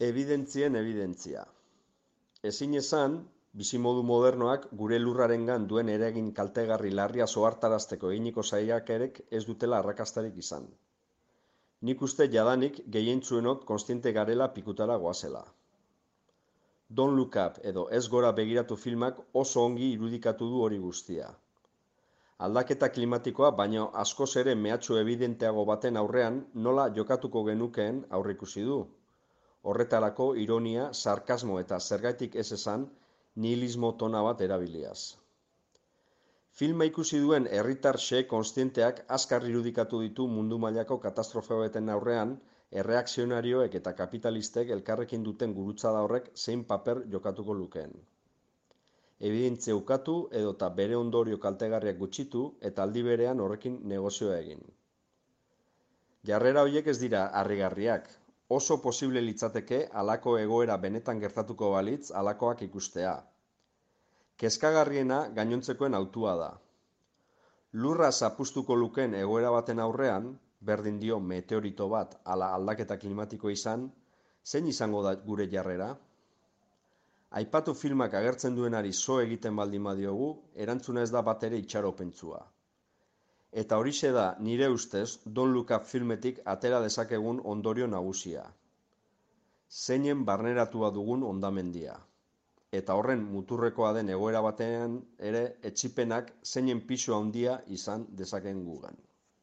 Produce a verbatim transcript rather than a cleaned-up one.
Ebidentzien ebidentzia. Ezin esan, bizimodu modernoak gure lurrarengan duen eragin kaltegarri larria ohartarazteko eginiko saiakerek ez dutela arrakastarik izan. Nik uste jadanik gehientsuenok kontziente garela pikutara goazela. Don't Look Up edo Ez Gora Begiratu filmak oso ongi irudikatu du hori guztia. Aldaketa klimatikoa baino askoz ere mehatxu ebidenteago baten aurrean nola jokatuko genukeen aurreikusi du. Horretarako ironia, sarkasmo eta zergatik ez esan nihilismo tona bat erabiliaz. Filma ikusi duen herritar xe kontzienteak azkar irudikatu ditu mundu mailako katastrofe baten aurrean erreakzionarioek eta kapitalistek elkarrekin duten gurutzada horrek zein paper jokatuko lukeen. Ebidentzia ukatu edota bere ondorio kaltegarriak gutxitu eta aldi berean horrekin negozioa egin. Jarrera horiek ez dira harrigarriak. Oso posible litzateke halako egoera benetan gertatuko balitz halakoak ikustea. Kezkagarriena gainontzekoen hautua da. Lurra zapuztuko lukeen egoera baten aurrean, berdin dio meteorito bat ala aldaketa klimatiko izan, zein izango da gure jarrera? Aipatu filmak agertzen duenari so egiten baldin badiogu, erantzuna ez da batere itxaropentsua. Eta horixe da, nire ustez, Don't Look Up filmetik atera dezakegun ondorio nagusia. Zeinen barneratua dugun hondamendia. Eta horren muturrekoa den egoera batean ere etsipenak zeinen pisu handia izan dezakeen gugan.